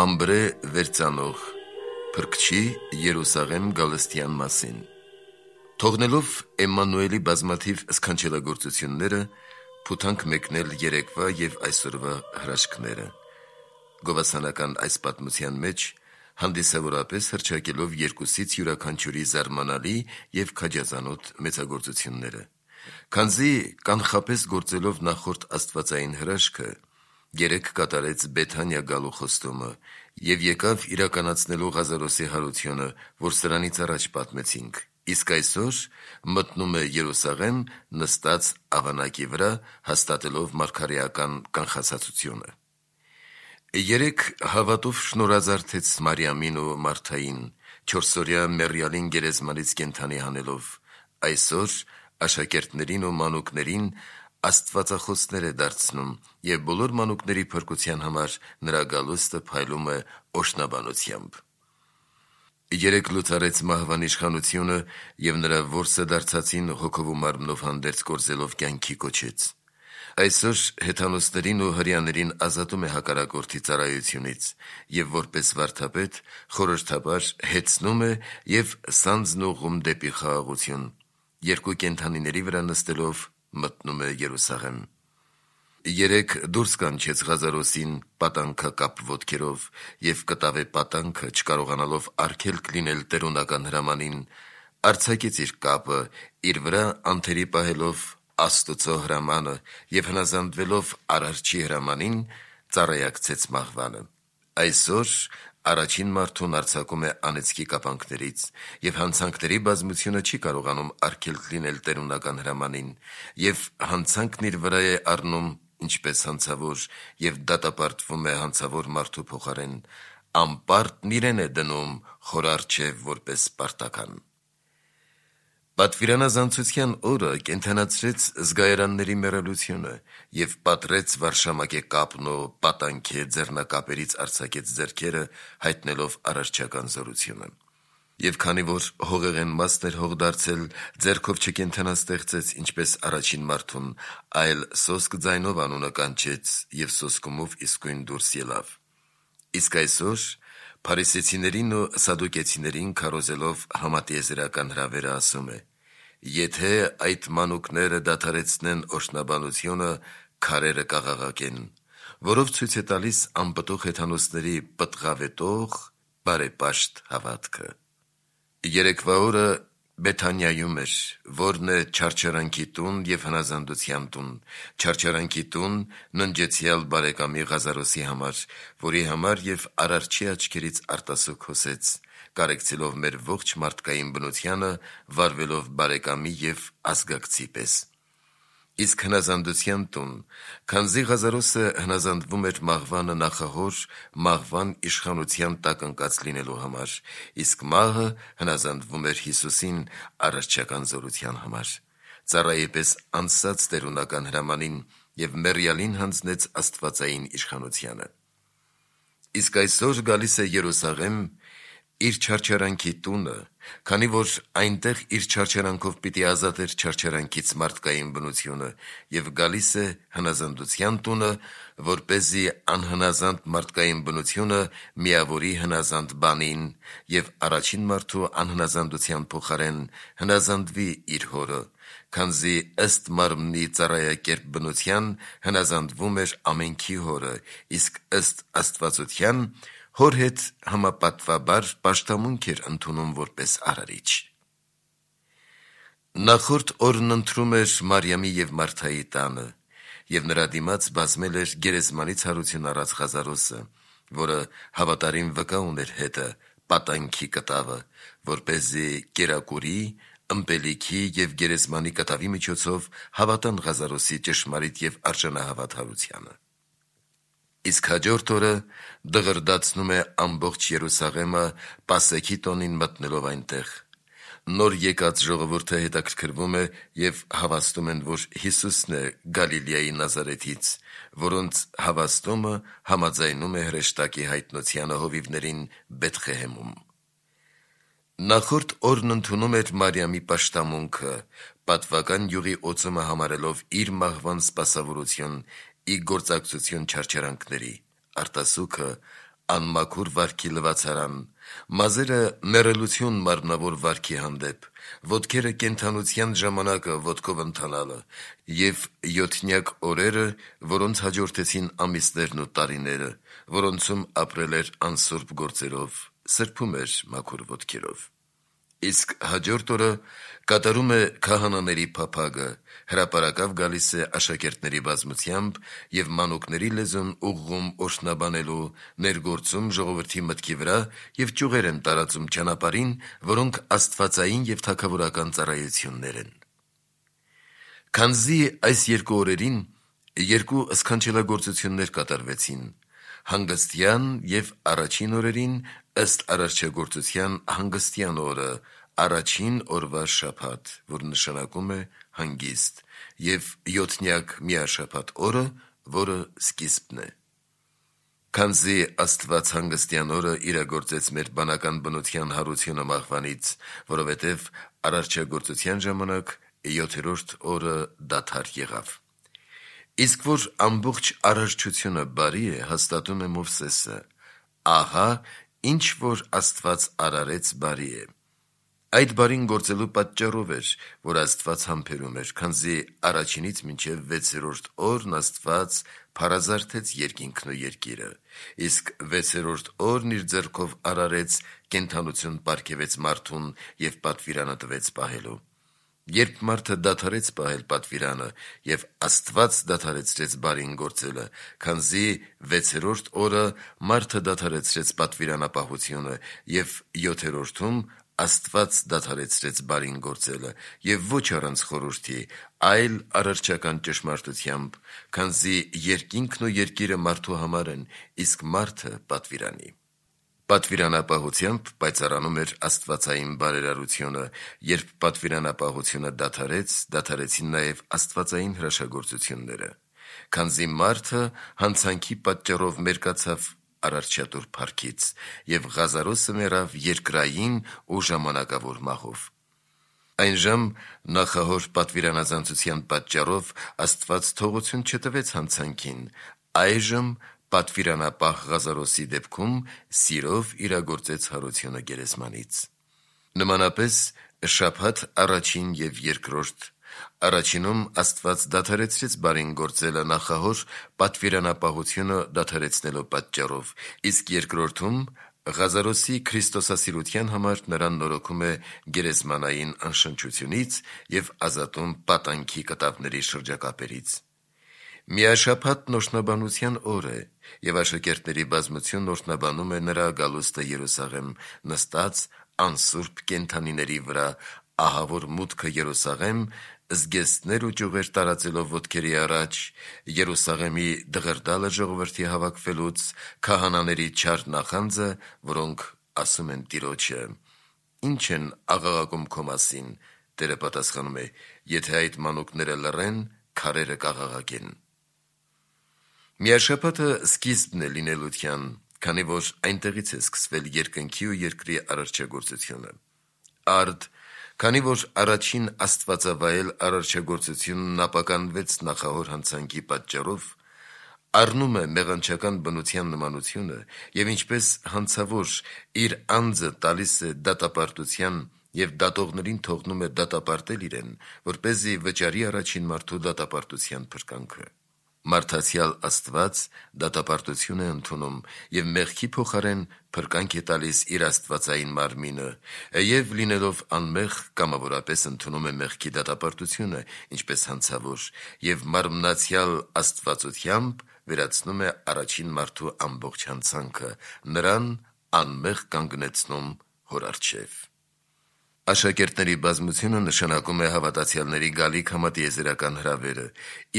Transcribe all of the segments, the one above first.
Մամբրե վերծանող Փրկչի Երուսաղեմ գալստյան մասին Թողնելով Էմմանուելի բազմաթիվ սքանչելագործությունները, փութանք մեկնել երեկվա և այսօրվա հրաշքները, գովասանական այս պատմության մեջ հանդիսավորապես հռչակելով երկուսից յուրաքանչյուրի զարմանալի և քաջազանոթ մեծագործությունները, քանզի կանխապես գործելով նախորդ աստվածային հրաշքը, երեկ կատարեց Բեթանիա գալու խոստումը և եկավ իրականացնելու Ղազարոսի հարությունը, որ սրանից առաջ պատմեցինք, իսկ այսօր մտնում է Երուսաղեմ նստած ավանակի վրա, հաստատելով մարգարեական կանխացածությունը։ Երեկ հավատով շնորհազարդեց Մարիամին ու Մարթային, 4-օրյա մեռյալին գերեզմանից կենդանի հանելով, այսօր աշակերտներին ու մանուկներին աստվածախոսներ է դարձնում և բոլոր մանուկների փրկության համար նրա գալուստը փայլում է օրհնաբանությամբ։ Երեկ լուծարեց մահվան իշխանությունը և նրա որսը դարձածին հոգով ու մարմնով հանդերձ կորզելով կյանքի կոչեց։ Այսօր հեթանոսներին ու հրեաներին ազատում է հակառակորդի ծառայությունից և որպես վարդապետ խորհրդաբար հեծնում է և սանձն ուղղում դեպի խաղաղություն, երկու կենդանիների վրա նստելով մտնում է Երուսաղեմ։ Երեկ դուրս կանչեց Ղազարոսին պատանքակապ ոտքերով և կտավ է պատանքը, չկարողանալով արգելք լինել տերունական հրամանին, արձակեց իր կապը, իր վրա անթերի պահելով Աստծո հրամանը և հնազանդվելով Արարչի հրամանին, ծառայակցեց մահվանը։ Այսօր առաջին մարդուն արձակում է անեծքի կապանքներից և հանցանքների բազմությունը չի կարողանում արգելք լինել տերունական հրամանին և հանցանքն իր վրա է առնում ինչպես հանցավոր և դատապարտվում է հանցավոր մարդու փոխարեն, անպարտն իրեն է դնում խորառչև որպես պարտական։ Պատվիրանազանցության օրը կենդանացրեց զգայարանների մեռելությունը և պատռեց վարշամակե կապն ու պատանքե ձեռնակապերից արձակեց ձեռքերը, հայտնելով արարչական զորությունը։ Եվ քանի որ հողեղեն մասն էր հող դարձել, ձեռքով չկենդանաստեղծեց, ինչպես առաջին մարդուն, այլ սոսկ ձայնով անունը կանչեց և սոսկումով իսկույն դուրս ելավ։ Իսկ այսօր փարիսեցիներին ու սադուկեցիներին քարոզելով համատիեզերական հրավերը ասում է. եթե այդ մանուկները դադարեցնեն օրհնաբանությունը, քարերը կաղաղակեն, որով ցույց է տալիս անպտուղ հեթանոսների պտղավետող բարեպաշտ հավատքը։ Երեկվա օրը Բեթանիայում էր, որն է չարչարանքի տուն և հնազանդության տուն, չարչարանքի տուն ննջեցյալ բարեկամի Ղազարոսի համար, որի համար և Արարչի աչքերից արտասուք հոսեց, կարեկցելով մեր ողջ մարդկային բնությանը, վարվելով բարեկամի և ազգակցի պես։ Իսկ հնազանդության տուն, քանզի Ղազարոսը հնազանդվում էր մահվանը նախահոր մահվան իշխանության տակ ընկած լինելու համար, իսկ մահը հնազանդվում էր Հիսուսին արարչական զորության համար, ծառայի պես անսած տերունական հրամանին և մեռյալին հանձնեց աստվածային իշխանությանը։ Իսկ այսօր գալիս է Երուսաղեմ իր չարչարանքի տունը, քանի որ այնտեղ իր չարչարանքով պիտի ազատեր չարչարանքից մարդկային բնությունը և գալիս է հնազանդության տունը, որպեսզի անհնազանդ մարդկային բնությունը միավորի հնազանդ բանին և առաջին մարդու անհնազանդության փոխարեն հնազանդվի իր հորը, քանզի ըստ մարմնի ծառայակերպ բնության հնազանդվում էր ամենքի հորը, իսկ ըստ աստվածության հոր հետ համապատվաբար պաշտամունք էր ընդունում որպես արարիչ։ Նախորդ օրն ընթրում էր Մարիամի և Մարթայի տանը, և նրա դիմաց բազմել էր գերեզմանից հարություն առած Ղազարոսը, որը հավատարիմ վկա ուներ հետը, պատանքի կտավը, որպեսզի կերակուրի, ըմպելիքի և գերեզմանի կտավի միջոցով հավատան Ղազարոսի ճշմարիտ և արժանահավատ հարությանը։ Իսկ հաջորդ օրը դղրդացնում է ամբողջ Երուսաղեմը Պասեքի տոնին մտնելով այնտեղ։ Նոր եկած ժողովուրդը հետաքրքրվում է և հավաստում են, որ Հիսուսն է Գալիլեայի Նազարեթից, որոնց հավաստումը համաձայնում է հրեշտակի հայտնությանը հովիվներին Բեթղեհեմում։ Նախորդ օրն ընդունում էր Մարիամի պաշտամունքը, պատվական յուղի օծումը համարելով իր մահվան սպասավորություն ի գործակցություն չարչարանքների, արտասուքը անմաքուր վարքի լվացարան, մազերը մեռելություն մարմնավոր վարքի հանդեպ, ոտքերը կենդանության ժամանակը ոտքով ընթանալը եւ յոթնյակ օրերը, որոնց հաջորդեցին ամիսներն ու տարիները, որոնցում ապրել էր անսուրբ գործերով, սրբում էր մաքուր ոտքերով։ Իսկ հաջորդ օրը կատարում է քահանաների փափագը, հրապարակավ գալիս է աշակերտների բազմությամբ եւ մանուկների լեզուն ուղղում օրհնաբանելու, ներգործում ժողովրդի մտքի վրա եւ ճյուղեր են տարածում ճանապարհին, որոնք աստվածային եւ թագավորական ծառայություններ են։ Քանզի այս երկու օրերին երկու սքանչելագործություններ կատարվեցին, հանգստյան եւ առաջին օրերին ըստ արարչագործության հանգստյան օրը, առաջին օրվա շաբաթ, որ նշանակում է հանգիստ, եւ յոթնյակ միաշաբաթ օրը, որը սկիզբն է։ Քանզի Աստված հանգստյան օրը իրագործեց մեր բանական բնության հարությունը մահվանից, որովհետև արարչագործության ժամանակ 7-րդ օրը դադար եղավ։ Իսկ որ ամբողջ արարչությունը բարի է, հաստատում է Մովսեսը. ահա ինչ որ Աստված արարեց բարի է։ Այդ բարին գործելու պատճառով էր, որ Աստված համբերում էր, քանզի առաջինից մինչև 6-րդ օրն Աստված փարազարթեց երկինքն ու երկիրը, իսկ 6-րդ օրն իր ձեռքով արարեց, կենդանություն պարգևեց մարդուն եւ պատվիրանը տվեց պահելու։ Երբ մարդը դադարեց պահել պատվիրանը եւ Աստված դադարեցրեց բարին գործելը, քանզի 6-րդ օրը մարդը դադարեցրեց պատվիրանապահությունը եւ 7-րդում Աստված դադարեցրեց բարին գործելը եւ ոչ առանց խորհրդի, այլ արարչական ճշմարտությամբ, քանզի երկինքն ու երկիրը մարդու համար են, իսկ մարդը պատվիրանի։ Պատվիրանապահությամբ պայծառանում էր աստվածային բարերարությունը, երբ պատվիրանապահությունը դադարեց, դադարեցին նաև աստվածային հրաշագործությունները, քանզի մարդը հանցանքի պատճառով մերկացավ արարչատուր փառքից, եւ Ղազարոսը մեռավ երկրային ու ժամանակավոր մահով։ Այնժամ նախահոր պատվիրանազանցության պատճառով Աստված թողություն չտվեց հանցանքին, այժմ պատվիրանապահ Ղազարոսի դեպքում սիրով իրագործեց հարությունը գերեզմանից։ Նմանապես շաբաթ առաջին եւ երկրորդ, առաջինում Աստված դադարեցրեց բարին գործելը նախահոր պատվիրանապահությունը դադարեցնելու պատճառով, իսկ երկրորդում Ղազարոսի քրիստոսասիրության համար նրան նորոգում է գերեզմանային անշնչությունից եւ ազատում պատանքի կտավների շրջակապերից։ Միաշաբաթն օրհնաբանության օր է, եւ աշակերտների բազմությունն օրհնաբանում է նրա գալուստը Երուսաղեմ, նստած անսուրբ կենդանիների վրա, ահա որ մուտքը Երուսաղեմ զգեստներ ու ճյուղեր տարածելով ոտքերի առաջ, Երուսաղեմի դղրդալը ժողովրդի հավաքվելուց, քահանաների չար նախանձը, որոնք ասում են Տիրոջը. «Ինչ են աղաղակում քո մասին», Տերը պատասխանում է. «Եթե այդ մանուկները լռեն, քարերը կաղաղակեն»։ Միաշաբաթը սկիզբն է լինելության, քանի որ այնտեղից է սկսվել երկնքի ու երկրի արարչագործությունը։ Արդ, քանի որ առաջին աստվածավայել արարչագործությունն ապականվեց նախահոր հանցանքի պատճառով, առնում է մեղանչական բնության նմանությունը եւ ինչպես հանցավոր իր անձը տալիս է դատապարտության եւ դատողներին թողնում է դատապարտել իրեն, որպեսզի վճարի առաջին մարդու դատապարտության փրկանքը։ Մարդացյալ Աստված դատապարտություն է ընդունում եւ մեղքի փոխարեն փրկանք է տալիս իր աստվածային մարմինը, եւ լինելով անմեղ կամավորապես ընդունում է մեղքի դատապարտությունը, ինչպես հանցավոր, եւ մարմնացյալ աստվածությամբ վերացնում է առաջին մարդու ամբողջ հանցանքը, նրան անմեղ կանգնեցնում հոր առջև։ Աշակերտների բազմությունը նշանակում է հավատացյալների գալիք համատիեզերական հրավերը,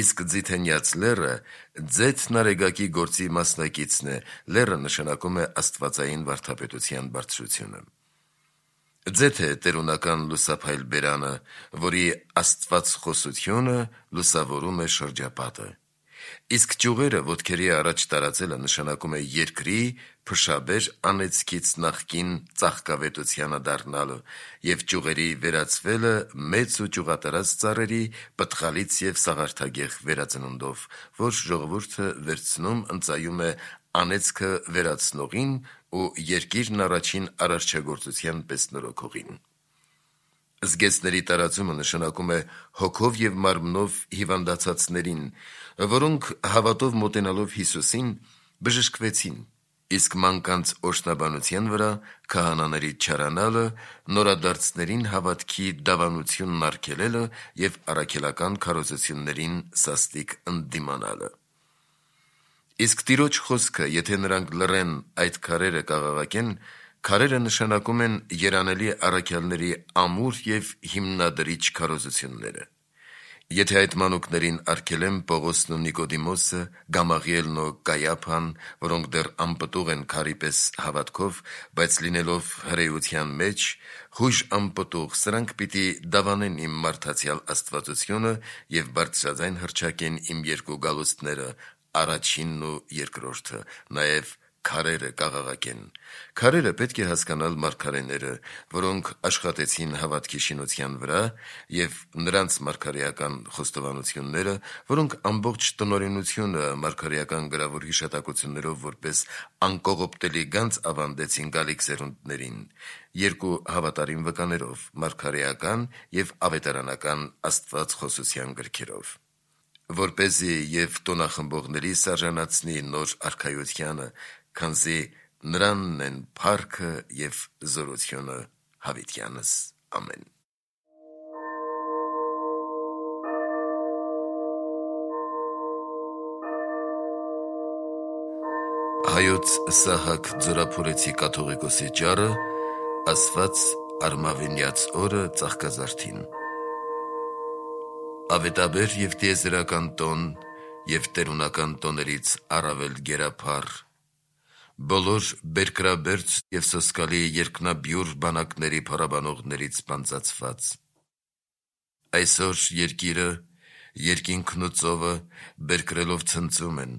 իսկ Ձիթենյաց լեռը ձեթ նարեգակի գործի մասնակիցն է, լեռը նշանակում է աստվածային վարդապետության բարձրությունը։ Ձեթ է տերունական լուսափայլ բերանը, որի աստվածխոսությունը լուսավորում է շրջապատը։ Իսկ ճյուղերը ոտքերի առաջ տարածելը նշանակում է երկրի փշաբեր անեծքից նախկին ծաղկավետությանը դառնալը եւ ճյուղերի վերածվելը մեծ ու ճյուղատարած ծառերի պտղալից եւ սաղարթագեղ վերածնունդով, որ ժողովուրդը վերցնում ընծայում է անեծքը վերացնողին ու երկիրն առաջին արարչագործության պես նորոգողին։ Զգեստների տարածումը նշանակում է հոգով և մարմնով հիվանդացածներին, որոնք հավատով մոտենալով Հիսուսին բժշկվեցին, իսկ մանկանց օրհնաբանության վրա քահանաների չարանալը, նորադարձներին հավատքի դավանությունն արգելելը և առաքելական քարոզություններին սաստիկ ընդդիմանալը։ Իսկ Տիրոջ խոսքը, եթե նրանք լռեն այդ քարերը կաղաղակեն, քարերը նշանակում են երանելի առաքյալների ամուր և հիմնադրիչ քարոզությունները։ Եթե այդ մանուկներին արգելեն Պողոսն ու Նիկոդիմոսը, Գամաղիելն ու Կայափան, որոնք դեռ անպտուղ են քարի պես հավատքով, բայց լինելով հրեության մեջ, խույժ անպտուղ, սրանք պիտի դավանեն իմ մարդացյալ աստվածությունը և բարձրաձայն հռչակեն իմ երկու գալուստները, առաջինն ու երկրորդը, նաև քարերը կաղաղակեն։ Քարերը պետք է հասկանալ մարգարեները, որոնք աշխատեցին հավատքի շինության վրա, և նրանց մարգարեական խոստովանությունները, որոնք ամբողջ տնօրենությունը մարգարեական գրավոր հիշատակություններով որպես անկողոպտելի գանձ ավանդեցին գալիք սերունդներին, երկու հավատարիմ վկաներով՝ մարգարեական և ավետարանական աստվածխոսության գրքերով, որպեսզի և տոնախմբողներիս արժանացնի նոր արքայությանը, քանզի նրանն են փառքը և զորությունը հավիտյանս։ Ամեն։ Հայոց Սահակ Ձորափորեցի կաթողիկոսի ճառը ասված Արմավենյաց օրը Ծաղկազարդին։ Ավետաբեր և տիեզերական տոն և տերունական տոներից առավել գերափառ, բոլոր բերկրաբերձ և սոսկալի երկնաբյուր բանակների փառաբանողներից պանծացված, այսօր երկիրը, երկինքն ու ծովը բերկրելով ցնծում են,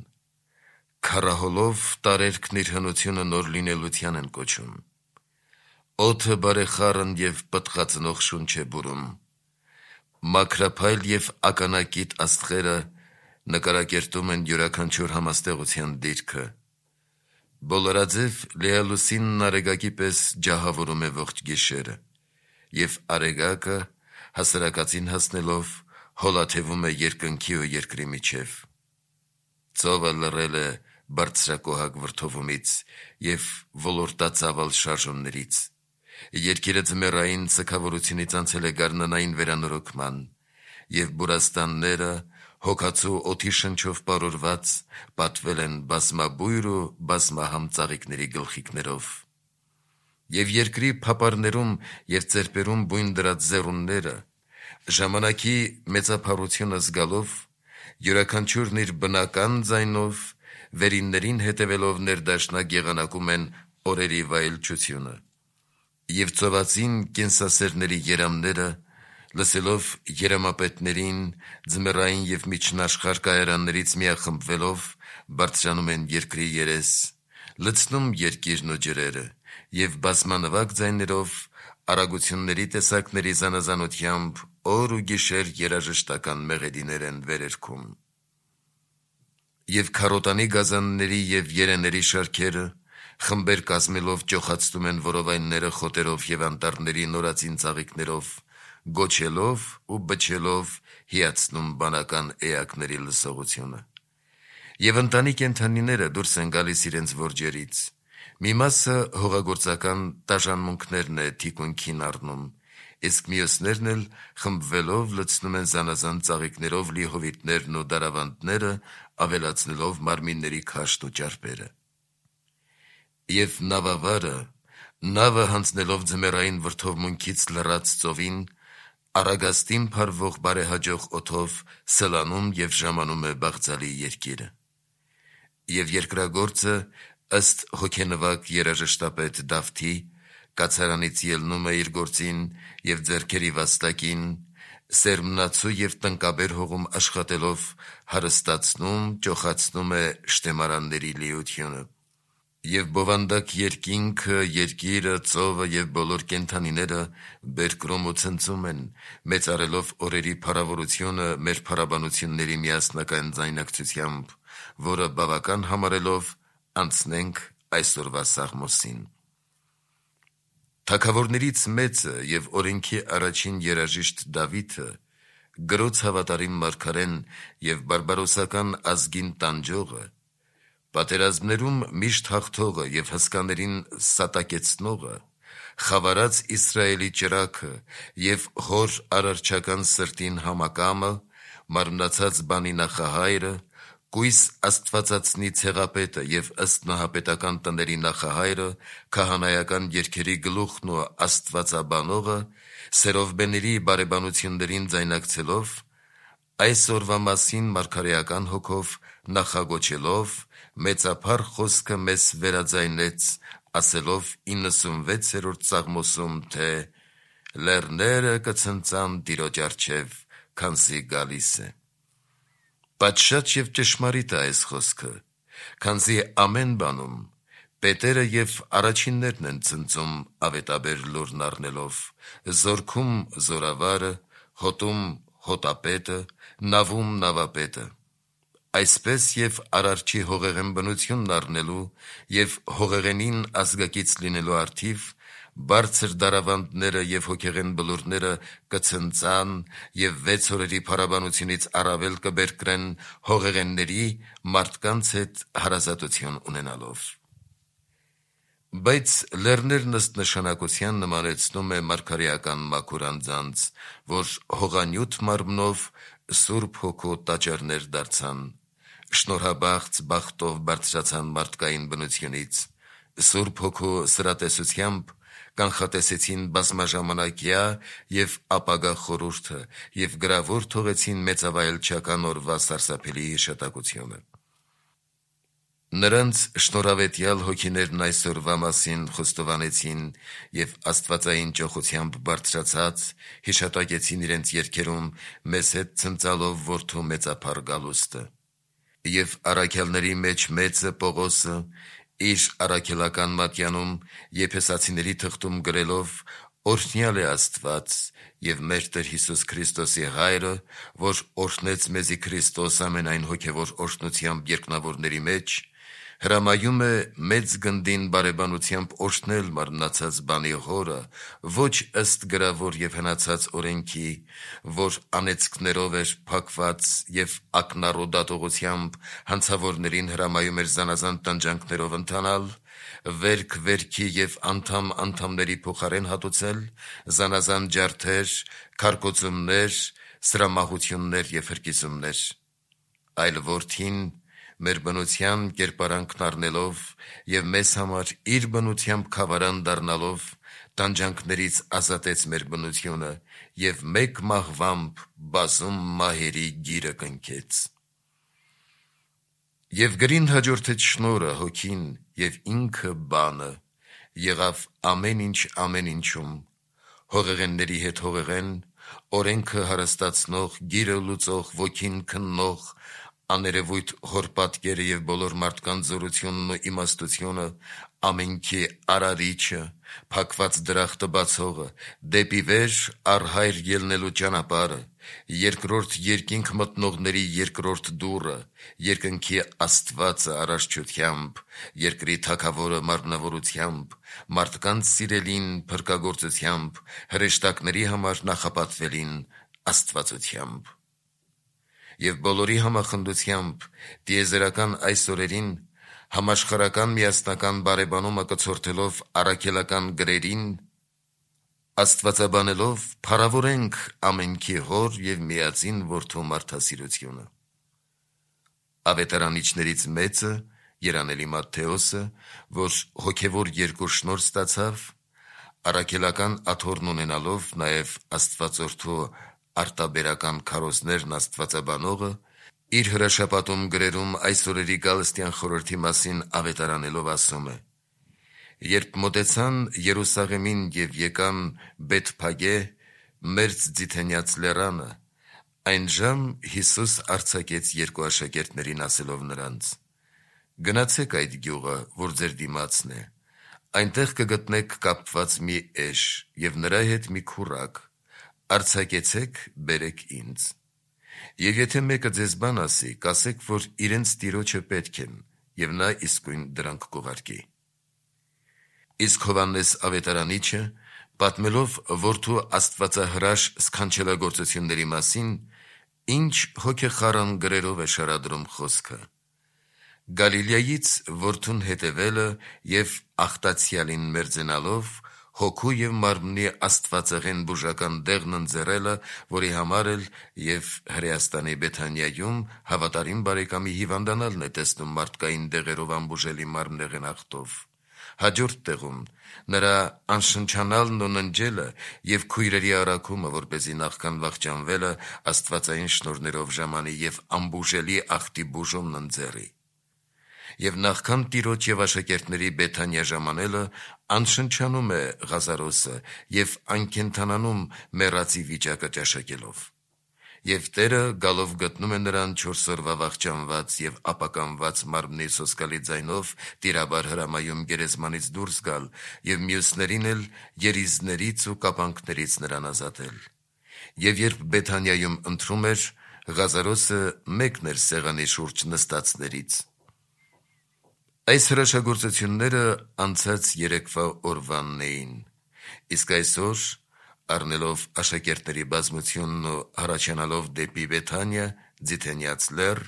քառահոլով տարերքն իր հնությունը նոր լինելության են կոչում, օդը բարեխառն և պտղածնող շունչ է բուրում, մաքրափայլ և ականակիտ աստղերը նկարակերտում են յուրաքանչյուր համաստեղության դիրքը, բոլորաձև լիալուսինն արեգակի պես ջահավորում է ողջ գիշերը, և արեգակը հասարակածին հասնելով հոլաթևում է երկնքի ու երկրի միջև, ծովը լռել է բարձրակոհակ վրդովումից և ոլորտածավալ շարժումներից, երկիրը ձմեռային սգավորությունից անցել է գարնանային վերանորոգման, և բուրաստանները հոգացու օդի շնչով պարուրված պատվել են բազմաբույր ու բազմահամ ծաղիկների գլխիկներով, և երկրի փապարներում և ծերպերում բույն դրած ձեռունները, ժամանակի մեծափառությունը զգալով, յուրաքանչյուրն իր բնական ձայնով, վերիններին հետևելով ներդաշնակ եղանակում են օրերի վայելչությունը, և ծովածին կենսասերների երամները, լսելով երամապետներին, ձմեռային և միջնաշխարհ կայարաններից միախմբվելով, բարձրանում են երկրի երես, լցնում երկիրն ու ջրերը, և բազմանվակ ձայներով, արագությունների տեսակների զանազանությամբ օր ու գիշեր երաժշտական մեղեդիներ են վերերգում։ Եվ քարոտանի գազանների և երեների շարքերը, խմբեր կազմելով ճոխացնում են որովայնները խոտերով և անտառների նորածին ծաղիկներով, գոչելով ու բչելով հիացնում բանական էակների լսողությունը։ Եվ ընտանի կենդանիները դուրս են գալիս իրենց որջերից, մի մասը հողագործական տաժանմունքներն է թիկունքին առնում, իսկ մյուսներն էլ խմբվելով լցնում են զանազան ծաղիկներով լի հովիտներն ու դարավանդները, ավելացնելով մարմինների քաշն ու ճարպերը։ Եվ նավավարը, նավը հանձնելով ձմեռային վրդովմունքից լռած ծովին, առագաստին փարվող բարեհաջող օդով սլանում և ժամանում է բաղձալի երկիրը։ Եվ երկրագործը, ըստ հոգենվակ երաժշտապետ Դավթի, կացարանից ելնում է իր գործին և ձեռքերի վաստակին, սերմնացու և տնկաբեր հողում աշխատելով, հարստացնում, ճոխացնում է շտեմարանների լիությունը։ Եվ բովանդակ երկինքը, երկիրը, ծովը և բոլոր կենդանիները բերկրում ու ցնծում են, մեծարելով օրերի փառավորությունը մեր փառաբանությունների միասնական ձայնակցությամբ, որը բավական համարելով անցնենք այսօրվա Սաղմոսին։ Թագավորներից մեծը և օրենքի առաջին երաժիշտ Դավիթը, գրոց հավատարիմ մարգարեն և բարբարոսական ազգին տանջողը, պատերազմներում միշտ հաղթողը և հսկաներին սատակեցնողը, խավարած Իսրայելի ճրագը և հոր արարչական սրտին համակամը, մարմնացած բանի նախահայրը, կույս աստվածածնի ցեղապետը և ըստ նահապետական տների նախահայրը, քահանայական երգերի գլուխն ու աստվածաբանողը, սերովբեների բարեբանություններին ձայնակցելով, այսօրվա մասին մարգարեական հոգով նախագոչելով, մեծափառ խոսքը մեզ վերաձայնեց, ասելով 96-րդ Սաղմոսում, թե «Լեռները կցնծան Տիրոջ առջև, քանզի գալիս է»։ Պատշաճ և ճշմարիտ է այս խոսքը, քանզի ամեն բանում պետերը և առաջիններն են ցնծում ավետաբեր լուրն առնելով, զորքում զորավարը, հոտում հոտապետը, նավում նավապետը։ Այսպես և արարչի հողեղեն բնությունն առնելու և հողեղենին ազգակից լինելու առթիվ բարձր դարավանդները և հոգեղեն բլուրները կցնծան և 6 օրերի փառաբանությունից առավել կբերկրեն հողեղենների մարդկանց հետ հարազատություն ունենալով։ Բայց լեռներն ըստ նշանակության նմանեցնում է մարգարեական մաքուր անձանց, որ հողանյութ մարմնով Սուրբ Հոգու տաճարներ դարձան, շնորհաբախծ բախտով բարձրացան մարդկային բնությունից, Սուրբ Հոգու սրատեսությամբ կանխատեսեցին բազմաժամանակյա և ապագա խորհուրդը և գրավոր թողեցին մեծավայելչական օրվա սարսափելի հիշատակությունը։ Նրանց շնորհավետյալ հոգիներն այսօրվա մասին խոստովանեցին և աստվածային ճոխությամբ բարձրացած հիշատակեցին իրենց երգերում մեզ հետ ցնծալով որդու մեծափառ գալուստը։ Եվ առաքյալների մեջ մեծը Պողոսը իր առաքելական մատյանում եփեսացիների թղթում գրելով «Օրհնյալ է Աստված և մեր Տեր Հիսուս Քրիստոսի Հայրը, որ օրհնեց մեզի Քրիստոս ամենայն հոգևոր օրհնությամբ երկնավորների մեջ, հրամայում է մեծ գնդին բարեբանությամբ օրհնել մարմնացած բանի հորը, ոչ ըստ գրավոր և հնացած օրենքի, որ անեծքներով էր փակված և ակնառու դատողությամբ հանցավորներին հրամայում էր զանազան տանջանքներով ընթանալ, վերք վերքի և անդամ անդամների փոխարեն հատուցել, զանազան ջարդեր, քարկոծումներ, սրամահություններ և հրկիզումներ, այլ որդին մեր բնության կերպարանքն առնելով և մեզ համար իր բնությամբ քավարան դառնալով տանջանքներից ազատեց մեր բնությունը և մեկ մահվամբ բազում մահերի գիրը կնքեց։ Եվ գրին հաջորդեց շնորհը, հոգին և ինքը բանը, եղավ ամեն ինչում, հողեղենների հետ հողեղեն, օրենքը հարստացնող, գիրը լուծող, ոգին քննող, աներևույթ հոր պատկերը և բոլոր մարդկանց զորությունն ու իմաստությունը, ամենքի արարիչը, փակված դրախտը բացողը, դեպի վեր առ Հայր ելնելու ճանապարհը, երկրորդ երկինք մտնողների երկրորդ դուռը, երկնքի Աստվածը արարչությամբ, երկրի Թագավորը մարմնավորությամբ, մարդկանց սիրելին փրկագործությամբ, հրեշտակների համար նախապատվելին աստվածությամբ։ Եվ բոլորի համախնդությամբ տիեզերական այս օրերին համաշխարհական միասնական բարեբանումը կցորդելով առաքելական գրերին, աստվածաբանելով փառավորենք ամենքի Հոր և միածին Որդու մարդասիրությունը։ Ավետարանիչներից մեծը, երանելի Մատթեոսը, որ հոգևոր երկու շնորհ ստացավ, առաքելական աթոռն ունենալով նաև Աստվածորդու արտաբերական քարոզներն աստվածաբանողը, իր հրաշապատում գրերում այս օրերի գալստյան խորհրդի մասին ավետարանելով ասում է. «Երբ մոտեցան Երուսաղեմին և եկան Բեթփագե, մերձ Ձիթենյաց լեռանը, այնժամ Հիսուս արձակեց երկու աշակերտներին, ասելով նրանց. «Գնացեք այդ գյուղը, որ ձեր դիմացն է, այնտեղ կգտնեք կապված մի էշ և նրա հետ մի քուռակ, արձակեցեք, բերեք ինձ։ Եվ եթե մեկը ձեզ բան ասի, կասեք, որ իրենց տիրոջը պետք են, և նա իսկույն դրանք կուղարկի։ Իսկ Հովհաննես Ավետարանիչը, պատմելով որդու աստվածահրաշ սքանչելագործությունների մասին, ինչ հոգեխառն գրերով է շարադրում խոսքը. Գալիլեայից որդուն հետևելը և աղտացյալին մերձենալով, հոգու և մարմնի աստվածեղեն բուժական դեղն ընձեռելը, որի համար էլ և Հրեաստանի Բեթանիայում հավատարիմ բարեկամի հիվանդանալն է տեսնում մարդկային դեղերով անբուժելի մարմնեղեն աղտով։ Հաջորդ տեղում նրա անշնչանալն ու ննջելը և քույրերի առաքումը, որպեսզի նախքան վախճանվելը աստվածային շնորհներով ժամանի և անբուժելի աղտի բուժումն ընձեռի։ Եվ նախքան Տիրոջ և աշակերտների Բեթանիա ժամանելը անշնչանում է Ղազարոսը և անկենդանանում մեռածի վիճակը ճաշակելով։ Եվ Տերը գալով գտնում է նրան 4 օրվա վախճանված և ապականված մարմնի սոսկալի ձայնով տիրաբար հրամայում գերեզմանից դուրս գալ և մյուսներին էլ երիզներից ու կապանքներից նրան ազատել։ Եվ երբ Բեթանիայում ընթրում էր, Ղազարոսը մեկն էր սեղանի շուրջ նստածներից։ Այս հրաշագործությունները անցած երեկվա օրվանն էին, իսկ այսօր, առնելով աշակերտների բազմությունն ու հառաչանալով դեպի Բեթանիա, ձիթենյաց լեռ,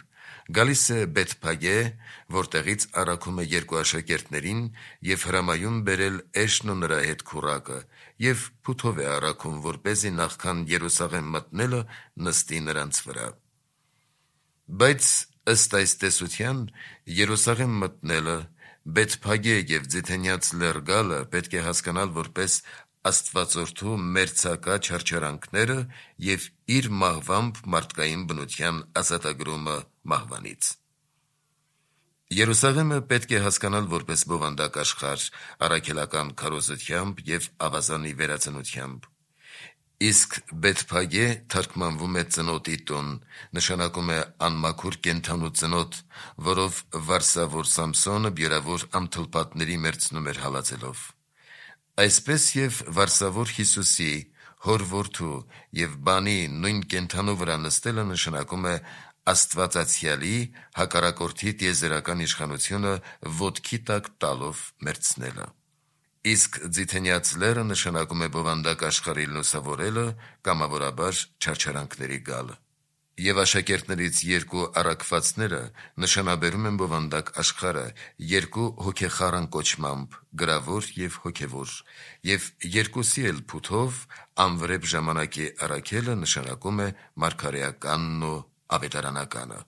գալիս է Բեթփագե, որտեղից առաքում է 2 աշակերտներին և հրամայում բերել էշն ու նրա հետ քուռակը և փութով է առաքում, որպեսզի նախքան Երուսաղեմ մտնելը նստի նրանց վրա։ Բայց ըստ այս տեսության, Երուսաղեմ մտնելը, Բեթփագե և ձիթենյաց լեռ գալը պետք է հասկանալ որպես Աստվածորդու մերձակա չարչարանքները և իր մահվամբ մարդկային բնության ազատագրումը մահվանից։ Երուսաղեմը պետք է հասկանալ որպես բովանդակ աշխարհ առաքելական քարոզությամբ և ավազանի վերածնությամբ։ Իսկ Բեթփագե թարգմանվում է ծնոտի տուն, նշանակում է անմաքուր կենդանու ծնոտ, որով վարսավոր Սամսոնը բյուրավոր անթլպատների մերձնում էր հալածելով։ Այսպես և վարսավոր Հիսուսի, հոր որդու և բանի նույն կենդանու վրա նստելը նշանակում է Աստվածացյալի հակառակորդի տիեզերական իշխանությունը ոտքի տակ տալով մերձնելը։ Իսկ ձիթենյաց լեռը նշանակում է բովանդակ աշխարհի լուսավորելը, կամավորաբար չարչարանքների գալը։ Եվ աշակերտներից 2 առաքվածները նշանաբերում են բովանդակ աշխարհը 2 հոգեխառն կոչմամբ՝ գրավոր և հոգևոր, և 2-ի էլ փութով անվրեպ ժամանակի առաքելը նշանակում է մարգարեականն ու ավետարանականը։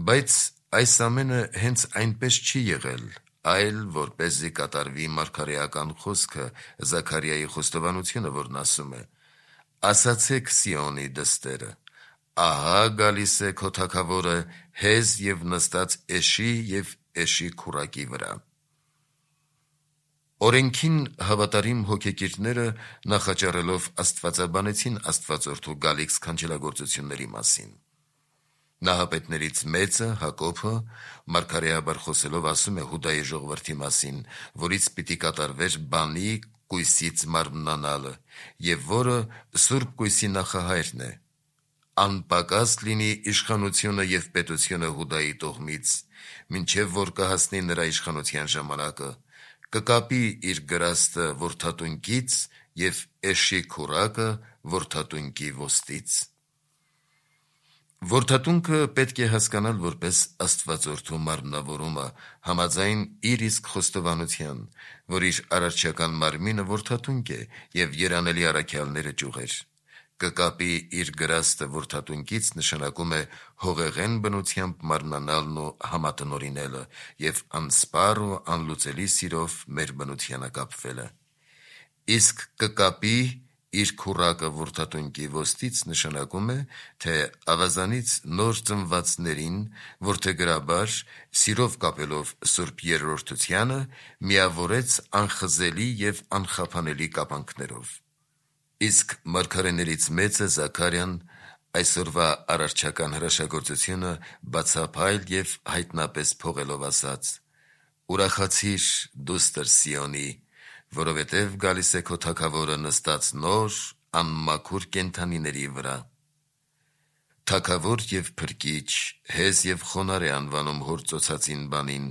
Բայց այս ամենը հենց այնպես չի եղել, այլ որպեսզի կատարվի մարգարեական խոսքը Զաքարիայի խոստովանությունը, որն ասում է. «Ասացեք Սիոնի դստերը. ահա գալիս է քո թագավորը հեզ և նստած էշի և էշի քուռակի վրա»։ Օրենքին հավատարիմ հոգեկիրները նախաճառելով աստվածաբանեցին Աստվածորդու գալիք սքանչելագործությունների մասին։ Նահապետներից մեծը՝ Հակոբը, մարգարեաբար խոսելով ասում է Հուդայի ժողովրդի մասին, որից պիտի կատարվեր բանի կույսից մարմնանալը, և որը Սուրբ Կույսի նախահայրն է. «Անպակաս լինի իշխանությունը և պետությունը Հուդայի տոհմից, մինչև որ կհասնի նրա իշխանության ժամանակը, կկապի իր գրաստը որդատունկից և էշի քուռակը որդատունկի ոստից»։ Որդատունկը պետք է հասկանալ որպես Աստվածորդու մարմնավորումը, համաձայն իր իսկ խոստովանության, որ իր արարչական մարմինը որդատունկ է և երանելի առաքյալները ճյուղեր։ Կկապի իր գրաստը որդատունկից նշանակում է հողեղեն բնությամբ մարմնանալն ու համատնօրինելը և անսպառ ու անլուծելի սիրով մեր բնությանը կապվելը։ Իսկ կկապի իր քուռակը որդատունկի ոստից նշանակում է, թե ավազանից նոր ծնվածներին որդեգրաբար, սիրով կապելով Սուրբ Երրորդությանը, միավորեց անխզելի և անխափանելի կապանքներով։ Իսկ մարգարեներից մեծը Զաքարիան այսօրվա արարչական հրաշագործությունը բացափայլ և հայտնապես փողելով ասաց. «Ուրախացի՛ր, դուստր Սիոնի, որովհետև գալիս է քո թագավորը նստած նոր, անմաքուր կենդանիների վրա»։ թագավոր եւ փրկիչ, հեզ եւ խոնար է անվանում հոր ծոցածին բանին,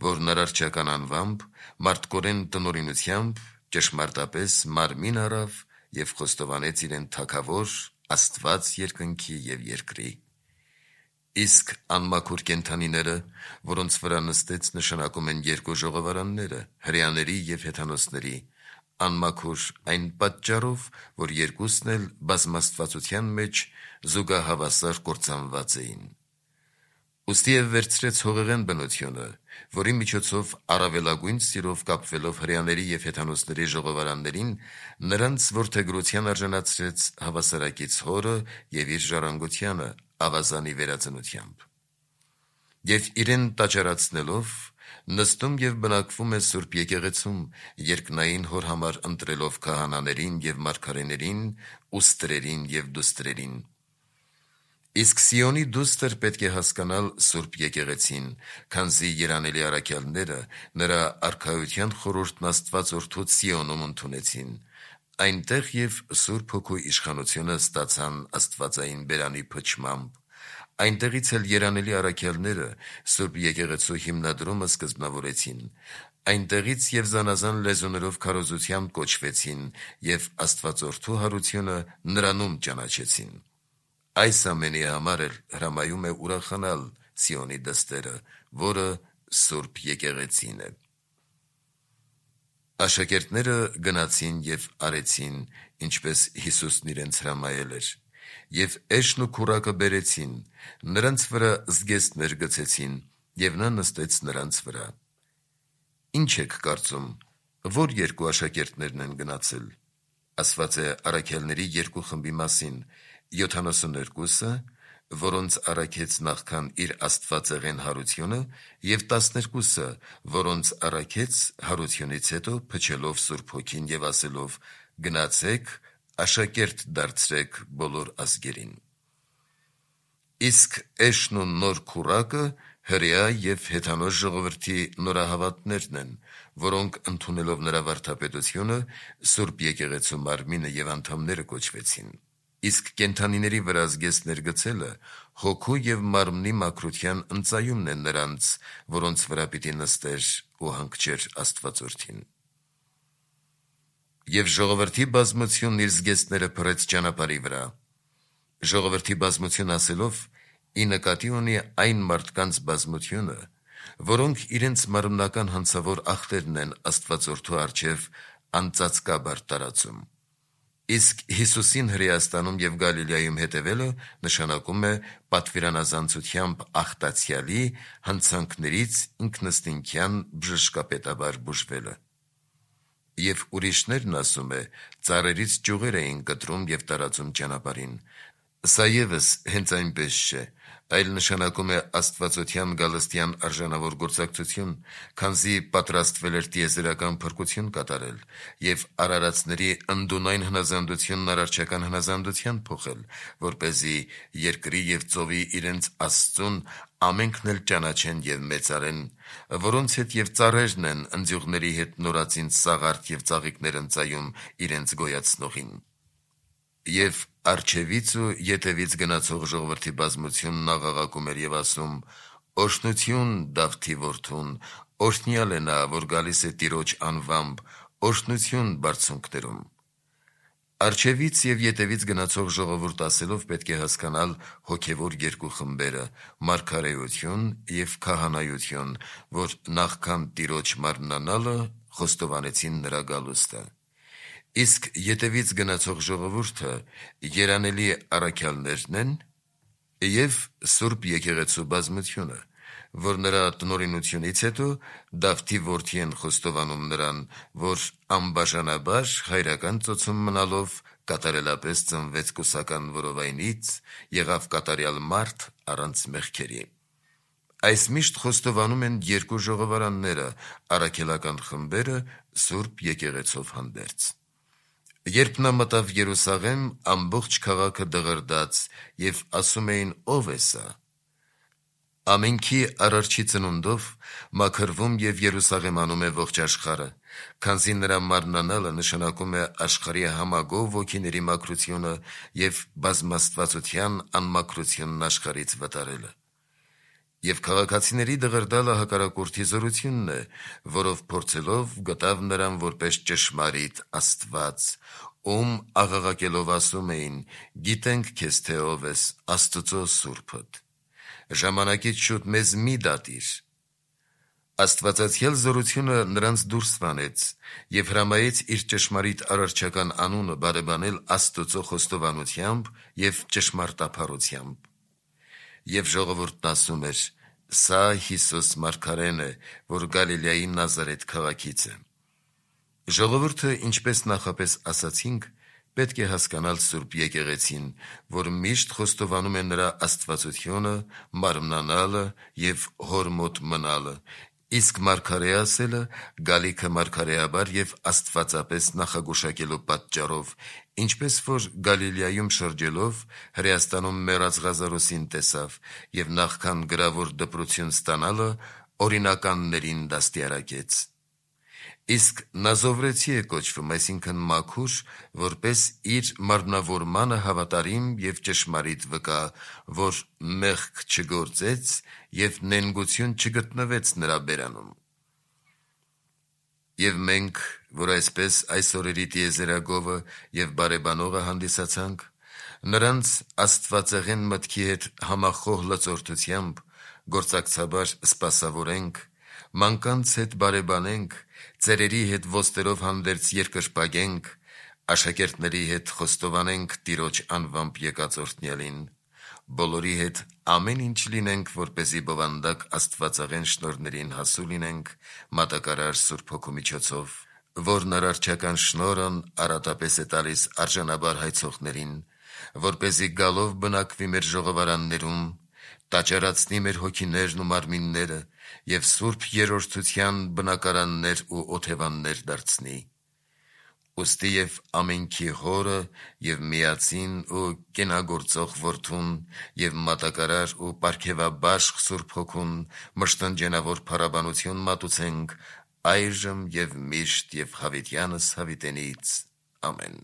որ նրարչական անվամբ, մարդկորեն տնօրինությամբ, ճշմարտապես մարմին առավ եւ խոստովանեց իրեն թագավոր, Աստված երկնքի եւ երկրի։ Իսկ անմաքուր կենդանիները, որոնց վրա նստեց, նշանակում են երկու ժողովարանները, հրեաների եւ հեթանոսների, անմաքուր այն պատճառով, որ երկուսն էլ բազմաստվածության մեջ զուգահավասար կործանված էին։ Ուստի եւ վերցրեց հողեղեն բնությունը, որի միջոցով առավելագույն սիրով կապվելով հրեաների եւ հեթանոսների ժողովարաններին, նրանց որդեգրության արժանացրեց հավասարակից հորը եւ իր ժառանգությանը ավազանի վերածնությամբ։ Եվ իրեն տաճարացնելով, նստում եւ բնակվում է Սուրբ եկեղեցում, երկնային հոր համար ընտրելով քահանաներին եւ մարգարեներին, ուստրերին եւ դուստրերին։ Իսկ Սիոնի դուստր պետք է հասկանալ Սուրբ եկեղեցին, քանզի երանելի առաքյալները նրա արքայության խորհուրդն Աստված Որդուց Սիոնում ընդունեցին, այնտեղ եւ Սուրբ Հոգու իշխանությունը ստացան Աստվածային բերանի փչմամբ, այնտեղից էլ երանելի առաքյալները Սուրբ եկեղեցու հիմնադրումը սկզբնավորեցին, այնտեղից եւ զանազան լեզուներով քարոզությամբ կոչվեցին եւ Աստվածորդու հարությունը նրանում ճանաչեցին։ Այս ամենի համար էլ հրամայում է ուրախանալ Սիոնի դստերը, որը Սուրբ եկեղեցին է։ Աշակերտները գնացին եւ արեցին, ինչպես Հիսուսն իրենց հրամայել էր, եւ էշն ու քուրակը բերեցին, նրանց վրա զգեստներ գցեցին, եւ նա նստեց նրանց վրա։ Ինչ եք կարծում, որ երկու աշակերտներն են գնացել։ Ասված է առաքյալների երկու խմբի մասին, 72-ը, որոնց առաքեց նախքան իր աստվածեղեն հարությունը, եւ 12-ը, որոնց առաքեց հարությունից հետո փչելով Սուրբ Հոգին եւ ասելով. «Գնացեք, աշակերտ դարձրեք բոլոր ազգերին»։ Իսկ էշն ու նոր քուրակը հրեա եւ հեթանոս ժողովրդի նորահավատներն են, որոնք ընդունելով նրա վարդապետությունը Սուրբ եկեղեցու մարմինը եւ անդամները կոչվեցին։ Իսկ կենդանիների վրա զգեստներ գցելը հոգու եւ մարմնի մաքրության ընծայումն է նրանց, որոնց վրա պիտի նստեր ու հանգչեր Աստվածորդին։ Եվ ժողովրդի բազմությունն իր զգեստները փռեց ճանապարհի վրա։ Ժողովրդի բազմություն ասելով ի նկատի ունի այն մարդկանց բազմությունը, որոնք իրենց մարմնական հանցավոր ախտերն են Աստվածորդու առջև անծածկաբար տարածում։ Իսկ Հիսուսին Հրեաստանում եւ Գալիլեայում հետևելը նշանակում է պատվիրանազանցությամբ ախտացյալի հանցանքներից ինքնըստինքյան բժշկապետաբար բուժվելը։ Եվ ուրիշներն, ասում է, ծառերից ճյուղեր էին կտրում եւ տարածում ճանապարհին։ Սա եւս հենց այնպես չէ, այլ նշանակում է աստվածության գալստյան արժանավոր գործակցություն, քանզի պատրաստվել էր տիեզերական փրկություն կատարել եւ արարածների ընդունայն հնազանդությունն արարչական հնազանդության փոխել, որպեսզի երկրի եւ ծովի իրենց Աստծուն ամենքն էլ ճանաչեն եւ մեծարեն, որոնց հետ եւ ծառերն են ընձյուղների հետ նորածին սաղարթ եւ ծաղիկներ ընծայում իրենց գոյացնողին։ Եվ արջևից ու ետևից գնացող ժողովրդի բազմությունն աղաղակում էր եւ ասում. «Օրհնություն Դավթի որդուն, օրհնյալ է նա, որ գալիս է Տիրոջ անվամբ, օրհնություն բարձունքներում»։ Արջևից եւ ետևից գնացող ժողովուրդ ասելով պետք է հասկանալ հոգեվոր երկու խմբերը՝ մարգարեություն եւ քահանայություն, որ նախքան Տիրոջ մարմնանալը խոստովանեցին նրա գալուստը։ Իսկ ետևից գնացող ժողովուրդը երանելի առաքյալներն են եւ Սուրբ եկեղեցու բազմությունը, որ նրա տնօրինությունից հետո Դավթի որդի են խոստովանում նրան, որ անբաժանաբար հայրական ծոցում մնալով կատարելապես ծնվեց կուսական որովայնից, եղավ կատարյալ մարդ առանց մեղքերի։ Այս միշտ խոստովանում են երկու ժողովարանները, առաքելական խմբերը Սուրբ եկեղեցով հանդերձ։ Երբ նա մտավ Երուսաղեմ, ամբողջ քաղաքը դղրդաց եւ ասում էին. «Ո՞վ է սա»։ Ամենքի արարչի ծնունդով մաքրվում եւ Երուսաղեմանում է ողջ աշխարհը, Քանզի նրա մարմնանալը նշանակում է աշխարհի համագով ոգիների մաքրությունը եւ բազմաստվածության անմաքրությունն աշխարհից վտարելը։ Եվ քաղաքացիների դղրդալը հակառակորդի զորությունն է, որով փորձելով գտավ նրան որպես ճշմարիտ Աստված, ում աղաղակելով ասում էին. «Գիտենք քեզ, թե ով ես, Աստծո Սուրբդ»։ Ժամանակից շուտ մեզ մի դատիր։ Աստվածացիալ զորությունը նրանց դուրս վանեց եւ հրամայեց իր ճշմարիտ արարչական անունը բարեբանել Աստծո խոստովանությամբ եւ ճշմարտափառությամբ։ Եվ ժողովուրդն ասում էր. «Սա Հիսուս մարգարեն է, որ Գալիլեայի Նազարեթ քաղաքից է»։ Ժողովուրդը, ինչպես նախապես ասացինք, պետք է հասկանալ Սուրբ Եկեղեցին, որ միշտ խոստովանում է նրա աստվածությունը, մարմնանալը եւ հոր մոտ մնալը, իսկ մարգարե ասելը գալիքը մարգարեաբար եւ աստվածապես նախագուշակելու պատճառով, ինչպես որ Գալիլեայում շրջելով Հրեաստանում մեռած Ղազարոսին տեսավ եւ նախքան գրավոր դպրություն ստանալը օրինականներին դաստիարակեց։ Իսկ Նազովրեցի է կոչվում, այսինքն մաքուր, որպես իր մարմնավորմանը հավատարիմ եւ ճշմարիտ վկա, որ մեղք չգործեց եւ նենգություն չգտնվեց նրա բերանում։ Եվ մենք, որ այսպես այս օրերի տիեզերագովը եւ բարեբանողը հանդիսացանք, նրանց աստվածեղեն մտքի հետ համախոհ լծորդությամբ գործակցաբար սպասավորենք, մանկանց հետ բարեբանենք, ծերերի հետ ոստերով հանդերձ երկրպագենք, աշակերտների հետ խոստովանենք Տիրոջ անվամբ եկած օրհնյալին, բոլորի հետ ամեն ինչ լինենք, որպեսզի բովանդակ աստվածեղեն շնորհներին հասու լինենք մատակարար Սուրբ Հոգու միջոցով, որն արարչական շնորհն արատապես է տալիս արժանաբար հայցողներին, որպեսզի գալով բնակվի մեր ժողովարաններում, տաճարացնի մեր հոգիներն ու մարմինները եւ Սուրբ Երրորդության բնակարաններ ու օթևաններ դարձնի։ Ուստի եւ ամենքի Հորը եւ միածին ու կենագործող Որդուն եւ մատակարար ու պարգևաբաշխ Սուրբ Հոգուն մշտնջենավոր փառաբանություն մատուցենք այժմ եւ միշտ եւ հավիտյանս հավիտենից։ Ամեն։